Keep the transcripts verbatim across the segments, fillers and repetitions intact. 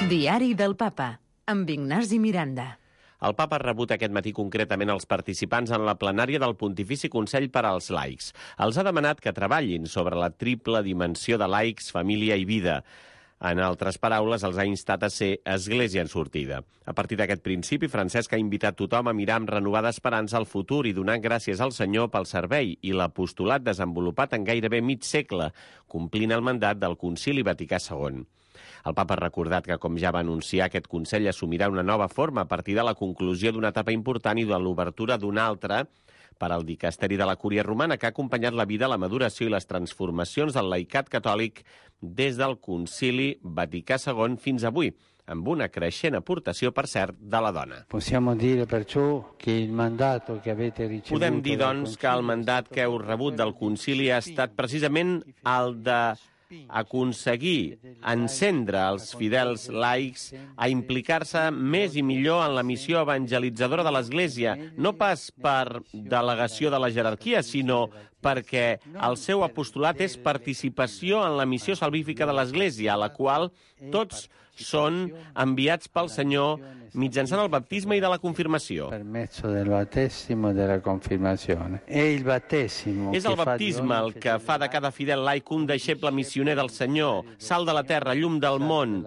Diari del Papa, amb Ignasi Miranda. El papa ha rebut aquest matí concretament els participants en la plenària del Pontifici Consell per als Laics. Els ha demanat que treballin sobre la triple dimensió de laics, família i vida. En altres paraules, els ha instat a ser església en sortida. A partir d'aquest principi, Francesc ha invitat tothom a mirar amb renovada esperança al futur i donar gràcies al Senyor pel servei i l'apostolat desenvolupat en gairebé mig segle, complint el mandat del Concili Vaticà segon. El papa ha recordat que, com ja va anunciar, aquest Consell assumirà una nova forma a partir de la conclusió d'una etapa important i de l'obertura d'una altra per al dicasteri de la Cúria Romana, que ha acompanyat la vida, la maduració i les transformacions del laicat catòlic des del Concili Vaticà segon fins avui, amb una creixent aportació, per cert, de la dona. Podem dir, doncs, que el mandat que heu rebut del concili ha estat precisament el de aconseguir encendre els fidels laics a implicar-se més i millor en la missió evangelitzadora de l'Església, no pas per delegació de la jerarquia, sinó perquè el seu apostolat és participació en la missió salvífica de l'Església, a la qual tots són enviats pel Senyor mitjançant el baptisme i de la confirmació. És el baptisme el que fa de cada fidel laic un deixeble missioner del Senyor, sal de la terra, llum del món,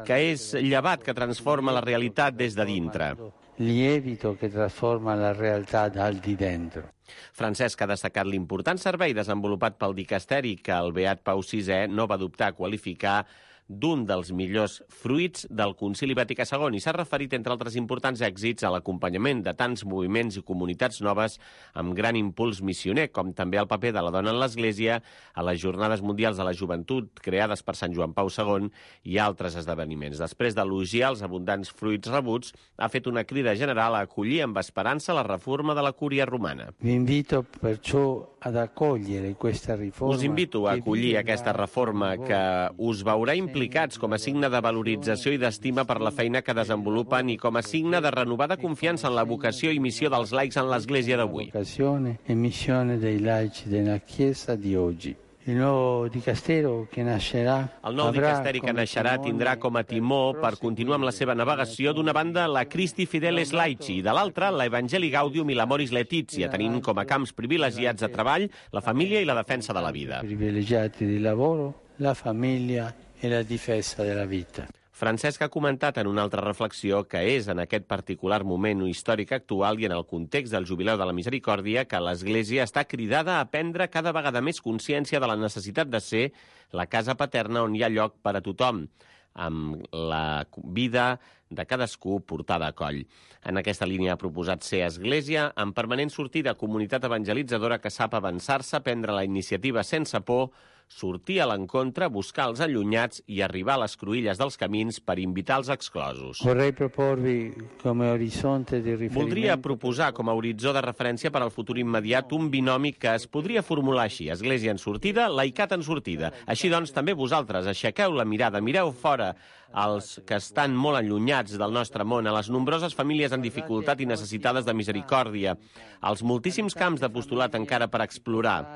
que és llevat que transforma la realitat des de dintre. Lievito que transforma la realitat al di dentro. Francesc ha destacat l'important servei desenvolupat pel dicasteri que el beat Pau sisè no va dubtar a qualificar d'un dels millors fruits del Concili Vaticà segon i s'ha referit, entre altres importants èxits, a l'acompanyament de tants moviments i comunitats noves amb gran impuls missioner, com també el paper de la dona en l'Església, a les Jornades Mundials de la Joventut creades per Sant Joan Pau segon i altres esdeveniments. Després d'elogiar els abundants fruits rebuts, ha fet una crida general a acollir amb esperança la reforma de la Cúria Romana. Vi invito perciò ad accogliere questa riforma. Us invito a acollir aquesta reforma que us veurà implicats com a signe de valorització i d'estima per la feina que desenvolupen i com a signe de renovada confiança en la vocació i missió dels laics en l'Església d'avui. Vocazione e missione dei laici della Chiesa di oggi. El nou dicasteri que naixerà El nou dicasteri que naixerà tindrà com a timó per continuar amb la seva navegació d'una banda la Christi Fideles Laici i de l'altra la Evangelii Gaudium i l'Amoris Laetitia, tenint com a camps privilegiats de treball la família i la defensa de la vida. Privilegiati di lavoro, la famiglia e la difesa della vita. Francesc ha comentat en una altra reflexió que és en aquest particular moment històric actual i en el context del Jubileu de la Misericòrdia que l'Església està cridada a prendre cada vegada més consciència de la necessitat de ser la casa paterna on hi ha lloc per a tothom, amb la vida de cadascú portada a coll. En aquesta línia ha proposat ser església en permanent sortida, comunitat evangelitzadora que sap avançar-se, prendre la iniciativa sense por, sortir a l'encontre, buscar els allunyats i arribar a les cruïlles dels camins per invitar els exclosos. Voldria proposar com a horitzó de referència per al futur immediat un binomi que es podria formular així: església en sortida, laicat en sortida. Així doncs, també vosaltres aixequeu la mirada, mireu fora als que estan molt allunyats del nostre món, a les nombroses famílies en dificultat i necessitades de misericòrdia, als moltíssims camps d'apostolat encara per explorar.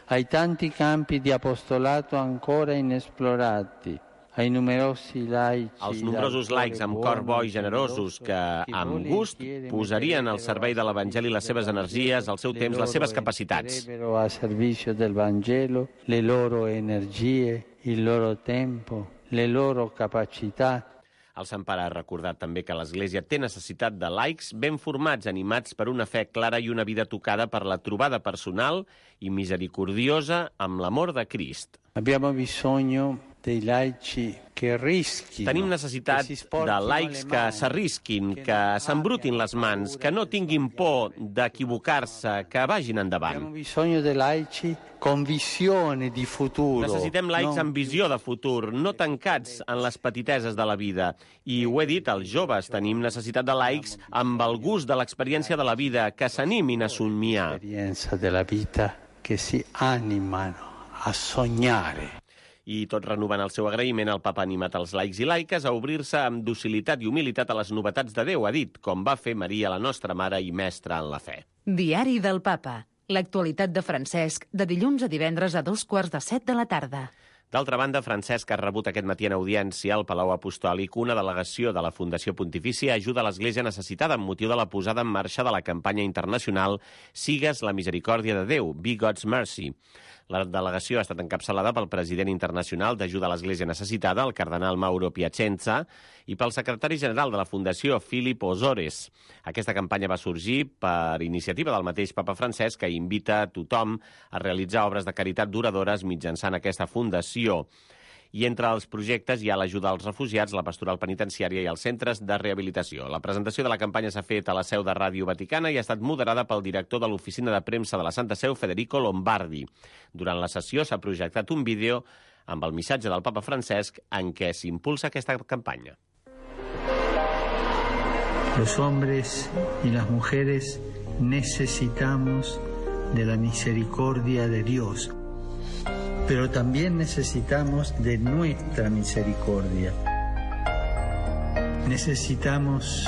Ai tanti campi di apostolato ancora inesplorati, ai numerosi laici, els nombrosos laics amb cor bo i generosos que, amb gust, posarien al servei de l'Evangeli les seves energies, el seu temps, les seves capacitats. A servizio del Vangelo, le loro energie, il loro tempo, le loro capacità. El Sant Pare ha recordat també que l'Església té necessitat de laics ben formats, animats per una fe clara i una vida tocada per la trobada personal i misericordiosa amb l'amor de Crist. Abbiamo bisogno dei laici que risquin. Tenim necessitat de laics que s'arrisquin, que s'embrutin les mans, que no tinguin por d'equivocar-se, que vagin endavant. Abbiamo bisogno dei laici con visione di futuro. Necessitem laics amb visió de futur, no tancats en les petiteses de la vida. I ho he dit, els joves tenim necessitat de laics amb el gust de l'experiència de la vida, que s'animin a somiar. L'experiència de la vida que si animano a sognare. I tot renovant el seu agraïment, el papa ha animat els laics i laiques a obrir-se amb docilitat i humilitat a les novetats de Déu, ha dit, com va fer Maria, la nostra mare i mestra en la fe. Diari del Papa. L'actualitat de Francesc, de dilluns a divendres a dos quarts de set de la tarda. D'altra banda, Francesc ha rebut aquest matí en audiència al Palau Apostòlic una delegació de la Fundació Pontifícia Ajuda a l'Església Necessitada amb motiu de la posada en marxa de la campanya internacional Sigues la Misericòrdia de Déu, Be God's Mercy. La delegació ha estat encapçalada pel president internacional d'Ajuda a l'Església Necessitada, el cardenal Mauro Piacenza, i pel secretari general de la Fundació, Philip Ozores. Aquesta campanya va sorgir per iniciativa del mateix papa Francesc, que invita a tothom a realitzar obres de caritat duradores mitjançant aquesta fundació. I entre els projectes hi ha l'ajuda als refugiats, la pastoral penitenciària i els centres de rehabilitació. La presentació de la campanya s'ha fet a la seu de Ràdio Vaticana i ha estat moderada pel director de l'Oficina de Premsa de la Santa Seu, Federico Lombardi. Durant la sessió s'ha projectat un vídeo amb el missatge del papa Francesc en què s'impulsa aquesta campanya. Los hombres y las mujeres necesitamos de la misericordia de Dios. Pero también necesitamos de nuestra misericordia. Necesitamos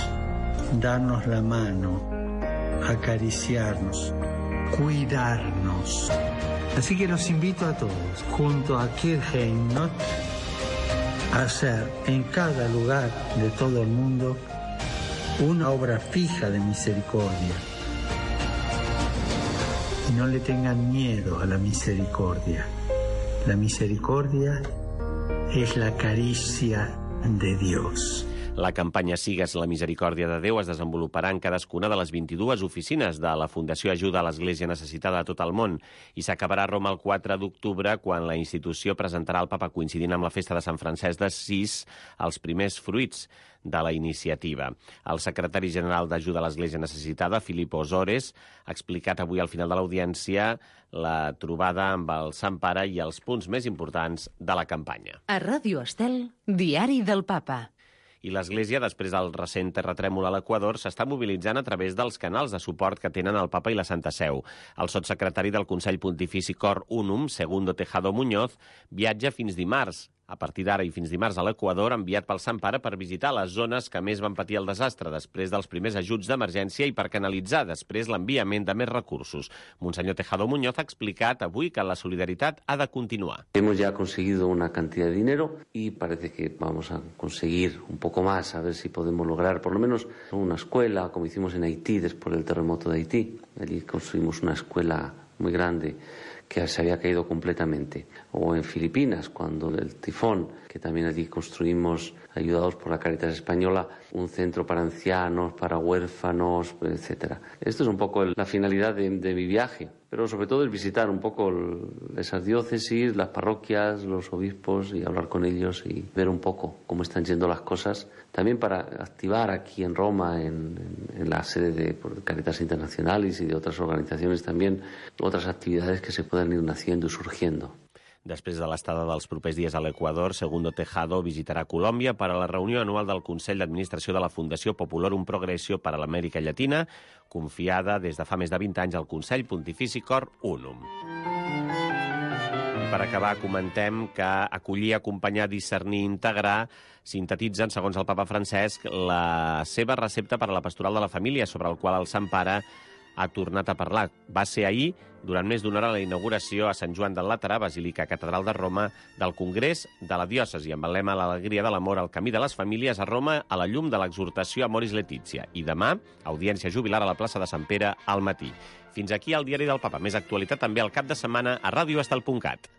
darnos la mano, acariciarnos, cuidarnos. Así que los invito a todos, junto a Kirchheim, a hacer en cada lugar de todo el mundo una obra fija de misericordia. Y no le tengan miedo a la misericordia. La misericordia es la caricia de Dios. La campanya Sigues la Misericòrdia de Déu es desenvoluparà en cadascuna de les vint-i-dues oficines de la Fundació Ajuda a l'Església Necessitada a tot el món i s'acabarà a Roma el quatre d'octubre, quan la institució presentarà al papa, coincidint amb la festa de Sant Francesc d'Assís, els primers fruits de la iniciativa. El secretari general d'Ajuda a l'Església Necessitada, Philip Ozores, ha explicat avui al final de l'audiència la trobada amb el Sant Pare i els punts més importants de la campanya. A Ràdio Estel, Diari del Papa. I l'Església, després del recent terratrèmol a l'Equador, s'està mobilitzant a través dels canals de suport que tenen el Papa i la Santa Seu. El sotssecretari del Consell Pontifici Cor Unum, Segundo Tejado Muñoz, viatja fins dimarts, a partir d'ara i fins dimarts a l'Equador, enviat pel Sant Pare per visitar les zones que més van patir el desastre després dels primers ajuts d'emergència i per canalitzar després l'enviament de més recursos. Monsenyor Tejado Muñoz ha explicat avui que la solidaritat ha de continuar. Hemos ya conseguido una cantidad de dinero y parece que vamos a conseguir un poco más, a ver si podemos lograr por lo menos una escuela, como hicimos en Haití después del terremoto de Haití. Allí construimos una escuela muy grande que se había caído completamente. O en Filipinas, cuando el tifón, que también allí construimos, ayudados por la Cáritas Española, un centro para ancianos, para huérfanos, etcétera. Esto es un poco la finalidad de, de mi viaje, pero sobre todo es visitar un poco esas diócesis, las parroquias, los obispos y hablar con ellos y ver un poco cómo están yendo las cosas. También para activar aquí en Roma, en, en, en la sede de Cáritas Internacionales y de otras organizaciones también, otras actividades que se puedan ir naciendo y surgiendo. Després de l'estada dels propers dies a l'Equador, Segundo Tejado visitarà Colòmbia per a la reunió anual del Consell d'Administració de la Fundació Populorum Progressio per a l'Amèrica Llatina, confiada des de fa més de vint anys al Consell Pontifici Cor Unum. I per acabar, comentem que acollir, acompanyar, discernir, integrar sintetitzen, segons el papa Francesc, la seva recepta per a la pastoral de la família, sobre el qual el Sant Pare ha tornat a parlar. Va ser ahir, durant més d'una hora, la inauguració a Sant Joan del Laterà, Basílica Catedral de Roma, del Congrés de la Diòcesi, amb el lema L'alegria de l'amor al camí de les famílies a Roma, a la llum de l'exhortació Amoris Laetitia. I demà, audiència jubilar a la plaça de Sant Pere al matí. Fins aquí el Diari del Papa. Més actualitat també al cap de setmana a ràdio estel punt cat.